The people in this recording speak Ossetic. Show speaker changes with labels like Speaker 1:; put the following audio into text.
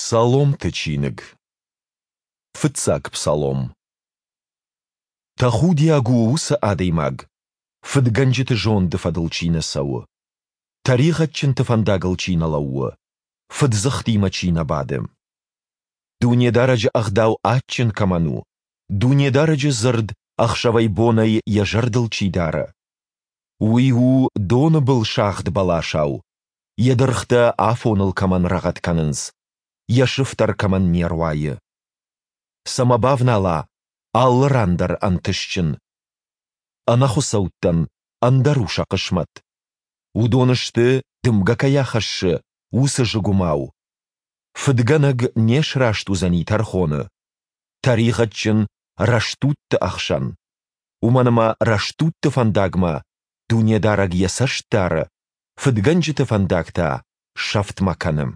Speaker 1: Псаломты чиныг. Фыццаг псалом. Тӕхудиаг у уыцы адӕймаг, фыдгӕнджыты зонды фӕдыл чи нӕ цӕуы, тӕригъӕдджынты фӕндагыл чи нӕ лӕууы, фыддзыхтимӕ чи нӕ бады. Дунедарӕджы ӕгъдау адджын кӕмӕн у, Дунедарӕджы дзырд ӕхсӕвӕй-бонӕй йӕ зӕрдыл чи дары. Уый у доны был сагъд бӕласау, йӕ дыргътӕ афоныл кӕмӕн рӕгъӕд кӕнынц, йӕ сыфтӕр кӕмӕн не руайы. Цӕмӕ бавнала, алы ран дӕр ӕнтыстджын. Ӕнӕхуыцӕуттӕн ӕндӕр у сӕ хъысмӕт. Уыдон сты, дымгӕ кӕй ахӕссы, уыцы зыгуымау. Фыдгӕнӕг не сраст уыдзӕни тӕрхоны, тӕригъӕдджын рӕстудты ӕхсӕн. Уымӕн ӕмӕ рӕстудты фӕндагмӕ Дунедарӕг йӕ цӕст дары, фыдгӕнджыты фӕндаг та сӕфтмӕ кӕны.